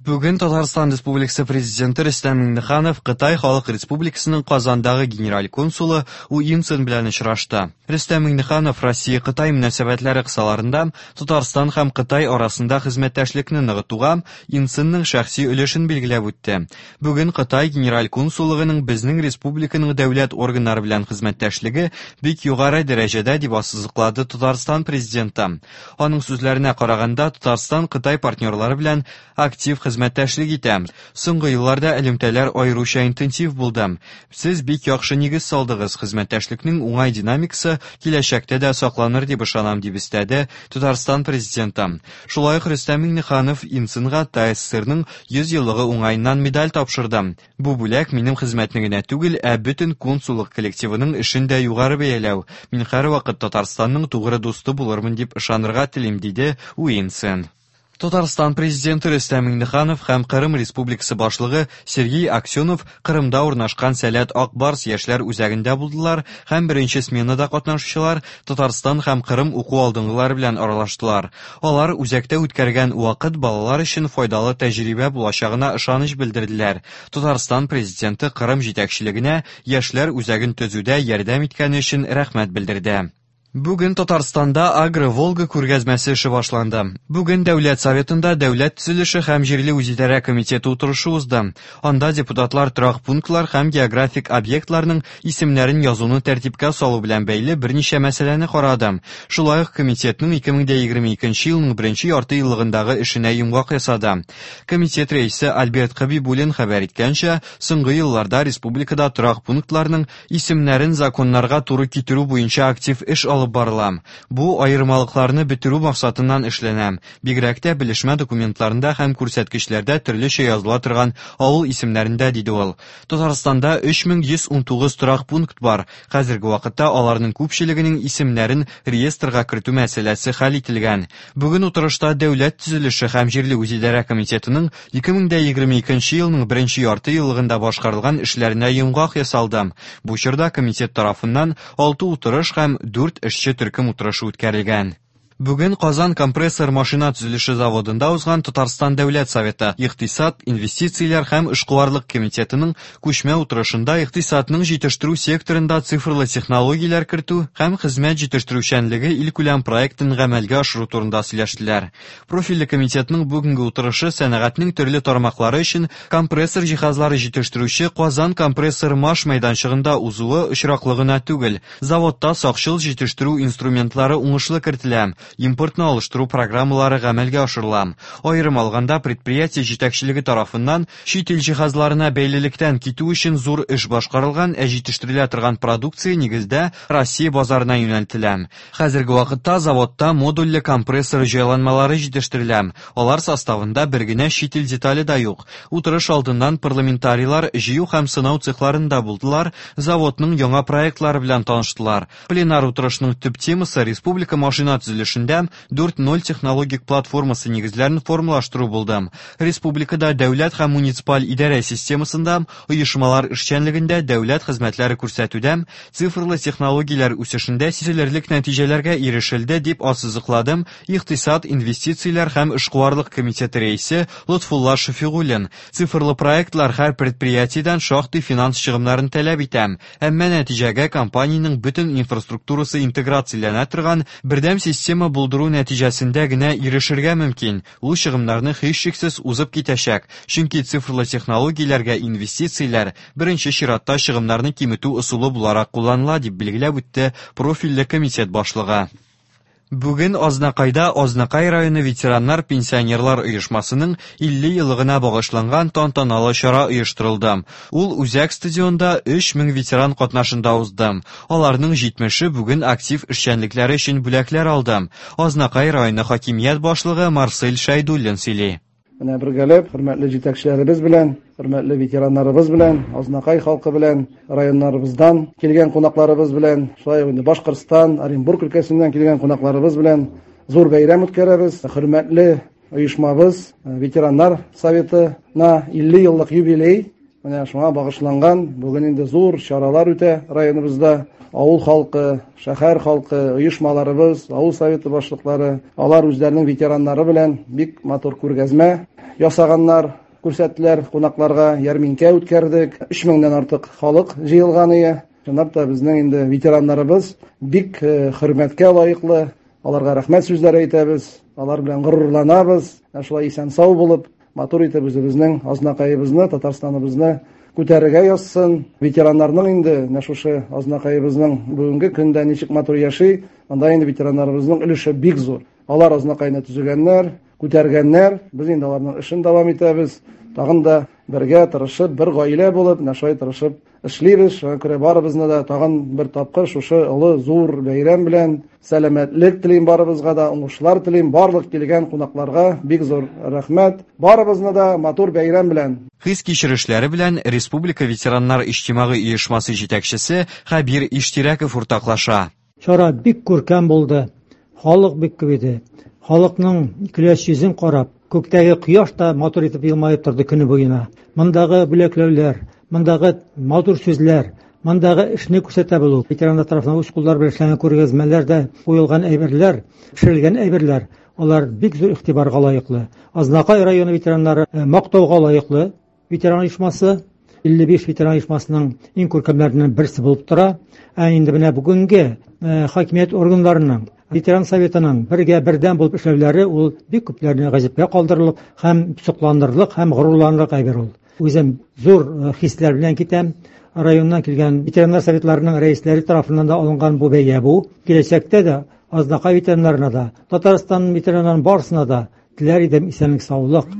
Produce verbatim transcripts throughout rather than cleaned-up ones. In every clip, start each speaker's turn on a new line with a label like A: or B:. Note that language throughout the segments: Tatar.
A: Бүген Татарстан Республикасы Президенты Рөстәм Миңнеханов Кытай Халык Республикасының Казандагы генераль консулы У Инцин белән очрашты. Рөстәм Миңнеханов Россия-Кытай мөнәсәбәтләре кысаларында Татарстан һәм Кытай арасында хезмәттәшлекне ныгытуга Инцинның шәхси өлешен билгеләп үтте. Бүген Кытай генераль консуллыгының безнең республиканың дәүләт органнары белән хезмәттәшлеге бик югары дәрәҗәдә, дип ассызыклады Татарстан Президенты. Аның сүзләренә караганда, Татарстан Кытай партнерлары белән актив хезмәттәшлек итә. Соңгы елларда элемтәләр аеруча интенсив булды. Сез бик яхшы нигез салдыгыз, хезмәттәшлекнең уңай динамикасы киләчәктә дә сакланыр дип ышанам, дип өстәде Татарстан Президенты. Шулай ук Рөстәм Миңнеханов Инцинга ТАССРның йөз еллыгы уңаеннан медаль тапшырды. Бу бүләк минем хезмәтне генә түгел, ә бөтен консуллык коллективының эшен дә югары бәяләү. Мин һәрвакыт Татарстанның тугры дусты булырмын дип ышанырга телим, диде Уинцин. Татарстан Президенты Рөстәм Миңнеханов һәм Кырым Республикасы башлыгы Сергей Аксенов Кырымда урнашкан Сәләт Ак Барс яшьләр үзәгендә булдылар һәм беренче сменада катнашучылар Татарстан һәм Кырым уку алдынгылары белән аралаштылар. Алар үзәктә үткәргән вакыт балалар өчен файдалы тәҗрибә булачагына ышаныч белдерделәр. Татарстан Президенты Кырым җитәкчелегенә яшьләр үзәген төзүдә ярдәм иткәне өчен рәхмәт белдерде. Бүген Татарстанда Агро-Волга күргәзмәсе эше башланды. Бүген Дәүләт Советында Дәүләт төзелеше һәм җирле үзидарә комитеты утырышы узды. Анда депутатлар торак пунктлар һәм географик объектларның исемнәрен язуны тәртипкә салу белән бәйле берничә мәсьәләне карады. Шулай ук комитетның ике мең егерме икенче елның беренче ярты еллыгындагы эшенә йомгак ясады. Комитет рәисе Альберт Хабибуллин хәбәр иткәнчә, соңгы елларда республикада торак пунктларның исемнәрен законнарга туры китерү буенча актив эш алып барыла. Бу аермалыкларны бетерү максатыннан эшләнә. Бигрәк тә белешмә документларында һәм күрсәткечләрдә төрлечә языла торган авыл исемнәрендә, диде ул. Татарстанда өч мең йөз ун тугыз торак пункт бар. Хәзерге вакытта аларның күпчелегенең исемнәрен реестрга кертү мәсьәләсе хәл ителгән. Бүген утырышта Дәүләт төзелеше һәм җирле үзидарә комитетының ике мең егерме икенче елның беренче ярты еллыгында башкарылган эшләренә йомгак ясалды. Бу чорда комитет тарафыннан алты утырыш һәм дүрт эшче төркем утырышы үткәрелгән. Бүген Казан компрессор машина төзелеше заводында узган Татарстан Дәүләт Советы Икътисад, инвестицияләр һәм эшкуарлык комитетының күчмә утырышында икътисадның җитештерү секторында цифрлы технологияләр кертү һәм хезмәт җитештерүчәнлеге илкүләм проектын гамәлгә ашыру турында сөйләштеләр. Профильле комитетның бүгенге утырышы сәнәгатьнең төрле тармаклары өчен компрессор җиһазлары җитештерүче Казан компрессор маш мәйданчыгында узуы очраклы гына түгел. Заводта сакчыл җитештерү инструментлары уңышлы кертелә. Импортны алыштыру программалары гамәлгә ашырыла. Аерым алганда, предприятие җитәкчелеге тарафыннан чит ил җиһазларына бәйлелектән китү өчен зур эш башкарылган, ә җитештерелә торган продукция нигездә Россия базарына юнәлтелә. Хәзерге вакытта заводта модульле компрессор җайланмалары җитештерелә. Алар составында бер генә чит ил детале да юк. Утырыш алдыннан парламентарийлар җыю һәм сынау цехларында булдылар, заводның яңа проектлары белән таныштылар. Пленар утырышның төп темасы республика машина төзелешендә дүрт ноль технологик платформасы нигезләрен формалаштыру булды. Республикада дәүләт һәм муниципаль идарә системасында, оешмалар эшчәнлегендә дәүләт хезмәтләре күрсәтүдә цифрлы технологияләр үсешендә сизелерлек нәтиҗәләргә ирешелде, дип ассызыклады Икътисад, инвестицияләр һәм эшкуарлык комитеты рәисе Лотфулла Шәфигуллин. Цифрлы проектлар һәр предприятиедән шактый финанс чыгымнарын таләп итә, әмма нәтиҗәгә компаниянең бөтен инфраструктурасы интеграцияләнә торган бердәм система булдыру нәтиҗәсендә генә ирешергә мөмкин. Ул чыгымнарны һичшиксез узып китәчәк, чөнки цифрлы технологияләргә инвестицияләр беренче чиратта чыгымнарны киметү ысулы буларак кулланыла, дип билгеләп үтте профильле комитет башлыгы. Бүген Азнакайда Азнакай районы ветераннар пенсионерлар оешмасының илле еллыгына багышланган тантаналы чара оештырылды. Ул үзәк стадионда өч мең ветеран катнашында узды. Аларның җитмеше бүген актив эшчәнлекләре өчен бүләкләр алды. Азнакай районы хакимият башлыгы Марсель Шәйдуллин сөйли.
B: Менә бергәләп, хөрмәтле җитәкчеләребез белән, хөрмәтле ветераннарыбыз белән, Азнакай халкы белән, районнарыбыздан килгән кунакларыбыз белән, шулай ук инде Башкортстан, Оренбург өлкәсеннән килгән кунакларыбыз белән зур бәйрәм үткәрәбез. Хөрмәтле оешмабыз, ветераннар советына илле еллык юбилей. Менә шуңа багышланган бүген инде зур чаралар үтә районыбызда. Авыл халкы, шәһәр халкы, оешмаларыбыз, авыл советы башлыклары, алар үзләренең ветераннары белән бик матур күргәзмә ясаганнар, күрсәттеләр кунакларга, ярминкә үткәрдек. Өч меңнән артык халык җыелган иде. Чынлап та безнең инде ветераннарыбыз бик хөрмәткә лаеклы. Аларга рәхмәт сүзләре әйтәбез, алар белән горурланабыз. Шулай исән-сау булып, матур итеп үзебезнең Азнакаебызны, Татарстаныбызны күтәрергә язсын. Ветераннарның инде менә шушы Азнакаебызның бүгенге көндә ничек матур яши, анда инде ветераннарыбызның өлеше бик зур. Алар Азнакайны төзегәннәр, күтәргәннәр. Без инде аларның эшен дәвам итәбез. Тагын да бергә тырышып, бер гаилә булып, менә шулай тырышып эшлибез. Шуңа күрә барыбызны да тагын бер тапкыр шушы олы зур бәйрәм белән сәламәтлек телим барыбызга да, уңышлар телим. Барлык килгән кунакларга бик зур рәхмәт. Барыбызны да матур бәйрәм белән.
A: Хис кичерешләре белән Республика ветераннар иҗтимагый оешмасы җитәкчесе Хәбир Иштирәков уртаклаша.
C: Чара бик күркәм булды. Халык бик күп иде. Халыкның көләч йөзен карап, күктәге кояш та матур итеп елмаеп торды көне буена. Мондагы бүләкләүләр, мондагы матур сүзләр, мондагы эшне күрсәтә белү, ветераннар тарафыннан үз куллары белән эшләнгән күргәзмәләр дә куелган әйберләр, пешерелгән әйберләр, алар бик зур игътибарга лаеклы. Азнакай районы ветераннары мактауга лаеклы ветеран оешмасы, илле биш ветеран оешмасының иң күркәмнәреннән берсе булып тора. Ә инде менә бүгенге хакимият органнарының, ветеран советының бергә бердәм булып эшләүләре ул бик күпләрне гаҗәпкә калдырырлык һәм сокланырлык һәм горурланырлык әйбер ул. Үзем зур хисләр белән китәм. Районнан килгән ветераннар советларының рәисләре тарафыннан да алынган бу бәя бу. Киләчәктә дә Азнакай ветераннарына да, Татарстан ветераннарының барысына да теләр идем исәнлек, саулык,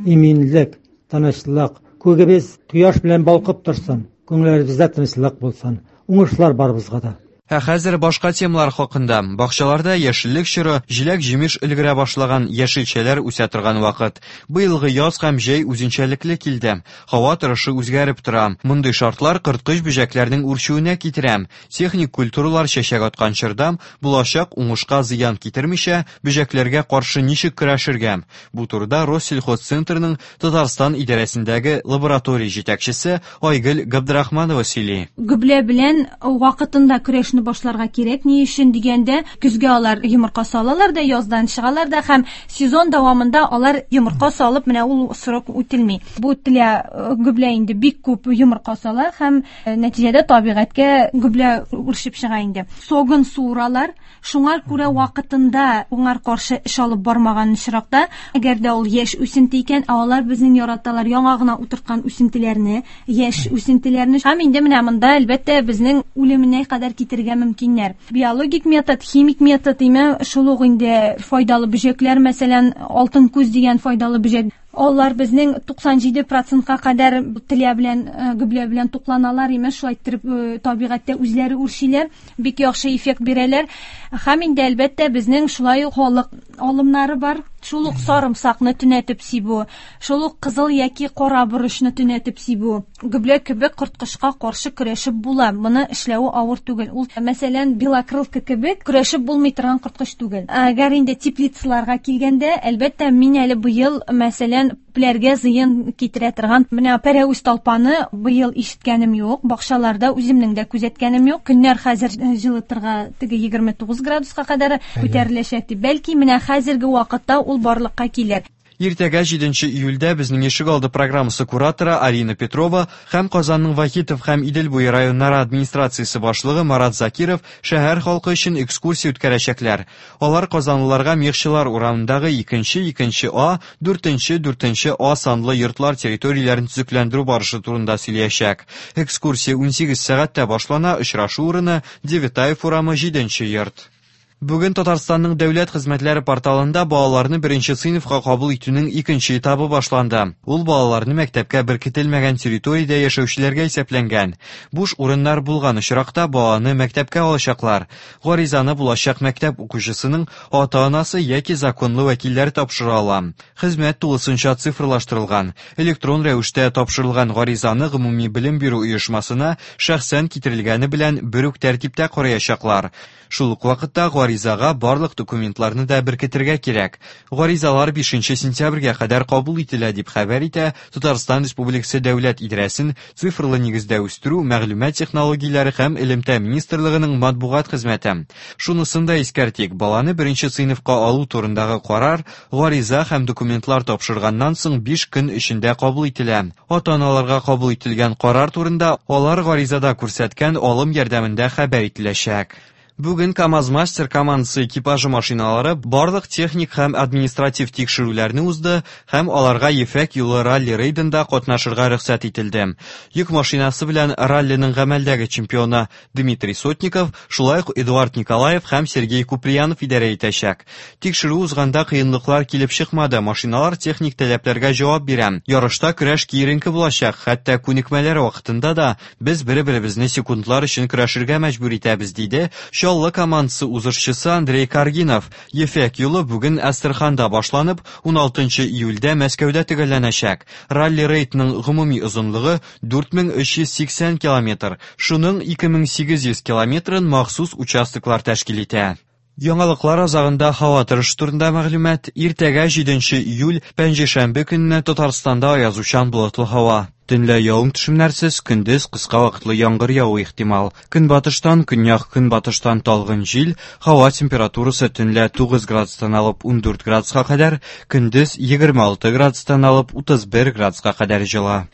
C: иминлек, тынычлык. Күгебез кояш белән балкып торсын, күңелләребездә тынычлык булсын. Уңышлар барыбызга да.
A: Ә хәзер башка темалар хакында. Бакчаларда яшеллек чоры, җиләк-җимеш өлгерә башлаган, яшелчәләр үсә торган вакыт. Быелгы яз һәм җәй үзенчәлекле килде. Һава торышы үзгәреп тора. Мондый шартлар корткыч бөҗәкләрнең үрчүенә китерә. Техник культуралар чәчәк аткан чорда булачак уңышка зыян китермичә, бөҗәкләргә каршы ничек көрәшергә? Бу турыда Россельхозцентрның Татарстан идарәсендәге лаборатория җитәкчесе Айгөл Габдрахманова сөйли.
D: Гөблә белән вакытында көрәшне башларга кирәк. Ни өчен дигәндә, көзгә алар йомырка салалар да, яздан чыгалар да һәм сезон дәвамында алар йомырка салып, менә ул срок үтелми. Бу телә гөблә инде бик күп йомырка сала һәм нәтиҗәдә табигатькә гөблә үрчеп чыга инде. Согын суыралар. Шуңа күрә вакытында уңар каршы эш алып бармаган очракта, әгәр дә ул яшь үсенте икән, ә алар безнең яраталар яңа гына утырткан үсентеләрне, яшь үсентеләрне. Һәм инде менә монда әлбәттә безнең үлеменә кадәр китерергә мөмкиннәр. Биологик метод, химик метод, име шул ук инде файдалы бөҗәкләр, мәсәлән, алтын күз дигән файдалы бөҗәк. Алар безнең туксан җиде процентка кадәр телә белән, гөблә белән тукланалар, имеш, шулай иттереп табигатьтә үзләре үрчиләр, бик яхшы эффект бирәләр. Һәм инде әлбәттә безнең шулай ук халык алымнары бар. Шул ук сарымсакны төнәтеп сибү, шул ук кызыл яки кара борычны төнәтеп сибү. Гөблә кебек корткычка каршы көрәшеп була. Моны эшләве авыр түгел. Ул, мәсәлән, белокрылка кебек көрәшеп булмый торган корткыч түгел. Әгәр инде теплицаларга килгәндә, әлбәттә, мин әле быел, мәсәлән, күпләргә зыян китерә торган менә пәрәвез талпаны быел ишеткәнем юк, бакчаларда үземнең дә күзәткәнем юк. Көннәр хәзер җылытырга теге егерме тугыз градуска кадәр күтәреләчәк дип. Бәлки менә хәзерге вакытта ул барлыкка килер.
A: Иртәгә җиденче июльдә безнең ишегалды программасы кураторы Арина Петрова һәм Казанның Вахитов һәм Идел буе районнары администрациясе башлыгы Марат Закиров шәһәр халкы өчен экскурсия үткәрәчәкләр. Алар казанлыларга Мехчылар урамындагы икенче, икенче А, дүртенче, дүртенче А санлы йортлар территорияләрен төзекләндерү барышы турында сөйләячәк. Экскурсия унсигез сәгатьтә башлана, очрашу урыны Девятаев урамы җиденче йорт. Бүген Татарстанның дәүләт хезмәтләре порталында балаларны беренче сыйныфка кабул итүнең икенче этабы башланды. Ул балаларны мәктәпкә беркетелмәгән территориядә яшәүчеләргә исәпләнгән. Буш урыннар булган очракта баланы мәктәпкә алачаклар. Гаризаны булачак мәктәп укучысының ата-анасы яки законлы вәкилләре тапшыра ала. Хезмәт тулысынча цифрлаштырылган. Электрон рәвештә тапшырылган гаризаны гомуми белем бирү оешмасына шәхсән китерелгәне белән бер үк тәртиптә караячаклар. Шул ук вакытта гаризага барлык документларны да беркетергә кирәк. Гаризалар бишенче сентябрьгә кадәр кабул ителә, дип хәбәр итә Татарстан Республикасы Дәүләт идарәсен цифрлы нигездә үстерү, мәгълүмат технологияләре һәм элемтә министрлыгының матбугат хезмәте. Шунысын да искәртик, баланы беренче сыйныфка алу турындагы карар гариза һәм документлар тапшырганнан соң биш көн эчендә кабул ителә. Ата-аналарга кабул ителгән карар турында алар гаризада күрсәткән алым ярдәмендә хәбәр ителәчәк. Бүген КАМАЗ-Мастер командасы экипажы машиналары барлык техник һәм административ тикшерүләрне узды һәм аларга Ефәк юлы ралли-рейдында катнашырга рөхсәт ителде. Йөк машинасы белән раллиның гамәлдәге чемпионы Дмитрий Сотников, шулай ук Эдуард Николаев һәм Сергей Куприянов идарә итәчәк. Тикшерү узганда кыенлыклар килеп чыкмады, машиналар техник таләпләргә җавап бирә. Ярышта көрәш киеренке булачак, хәтта күнекмәләр вакытында да без бер-беребезне секундлар өчен көрәшергә мәҗбүр итәбез, диде Чаллы командасы узышчысы Андрей Каргинов. Ефәк юлы бүген Әстерханда башланып, уналтынчы июльдә Мәскәүдә төгәлләнәчәк. Ралли-рейдның гомуми озынлыгы дүрт мең өч йөз сиксән километр. Шуның ике мең сигез йөз километрын махсус участоклар тәшкил итә. Яңалыклар азагында һава торышы турында мәгълүмат. Иртәгә җиденче июль пәнҗешәмбе көнне Татарстанда аязучан болытлы һава. Төнлә явым төшемнәрсез, көндез кыска вакытлы яңгыр явуы ихтимал. Көнбатыштан, көньяк көнбатыштан талгын җил, һава температурасы төнлә тугыз градустан алып ундүрт градуска кадәр, көндез егерме алты градустан алып утыз бер градуска кадәр җылы.